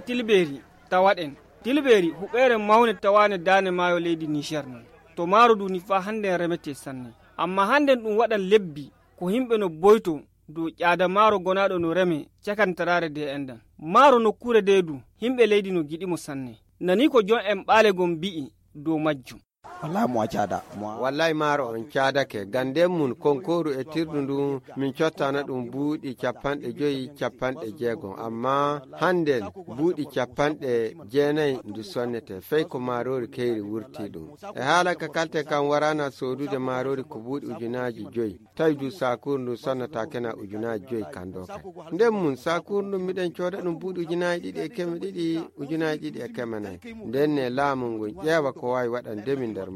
tilberi tawaɗen. Tilberi huɓere mawne tawane dane maayo leydi Niger non. To maaro duni fa hande remete sanne. Amma hande ɗum waɗan lebbi ko himɓe no boyto dow ƴaada maaro gonaɗo no reme cakantarare de endan. Maaro nokkure de du himɓe leydi no giɗimo sanne. Nani ko jon en ɓaale gon bi'i dow majjum. wallahi mo caada wallahi maaro on caadake ganden mun konkoru e tirdu ndu min cottana ɗum buuɗi 50 amma handen buuɗi 90 ndu sonnete fey ko maarori keyri wurti ɗum e haala ka kalte kam warana sodude maarori ko buuɗi 5,000 tawi du sakuru ndu sonnata kena 5,000 kando kay nden mun sakuru ndu miɗen cooda ɗum buuɗi 2,200 2,400 nden ne laamu ngun ƴeewa ko wawi waɗandemi nder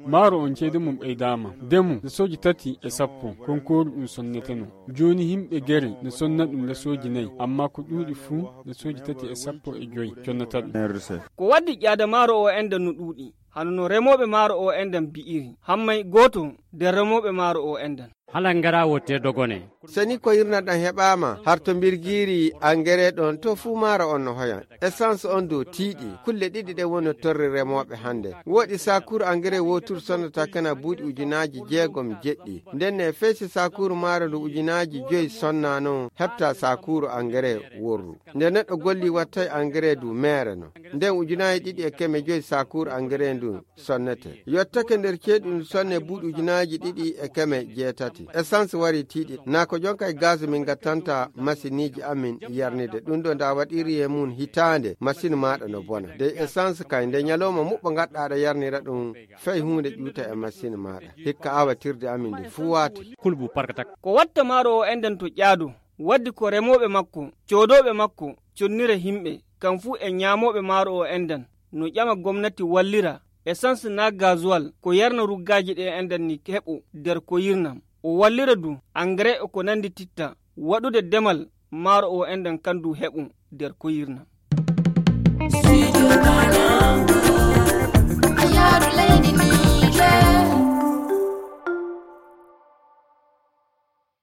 maaro on ceede mum ɓeydama demu lesoji 3 konkoru ɗum sonneteno joni himɓe gere ne sonna ɗum lesoji 4 amma ko ɗuuɗi fuu lesoji 3,5 connata ɗum ko waddi ƴaada maaro o enden no ɗuuɗi hano no remoɓe maaro o enden bi'iri hammay goto nder remoɓe maaro o enden halan ngara wotte dogone seni ko yirnaɗan heɓama harto birgiri engrais ɗon to fuu maaro on no hoyan essence on dow tiiɗi kulle ɗiɗi ɗe woni torri remoɓe hande woɗi sakuru engrais wotur sonnata kana buuɗi 6,000 nden ne feesi sakuru maaro ndu 5,000 sonna noon heɓta sakuru engrais worru nde neɗɗo golli wattay engrais du mere no nden 2,500 sakuru engrais ndu sonnete yottake nder ceeɗu ndu sonne buuɗi 2,600 essence wari tiiɗi nako jonka e gaz min gattanta masiniji amin yarnide ɗum ɗo nda waɗiri e mun hitande machine maɗa no bona de essence kay nde nyaloma muɓɓa gadɗaɗa yarnira ɗum fey hunde ƴuuta e machine maɗa hikka awatirde amin ndi fuu wati kulbu parkatak ko watta maaro o enden to ƴaadu waddi ko remoɓe makko coodoɓe makko connire himɓe kam fuu e ñaamoɓe maaro o enden no ƴama gomnati wallira essence na gasoil ko yarna ruggaji ɗe enden ni heɓu nder ko yirnam o wallira du engrais ko nandi titta waɗude demal maaro o enden kandu heɓu nder ko yirnam Studio Banangu, Ayaru Lady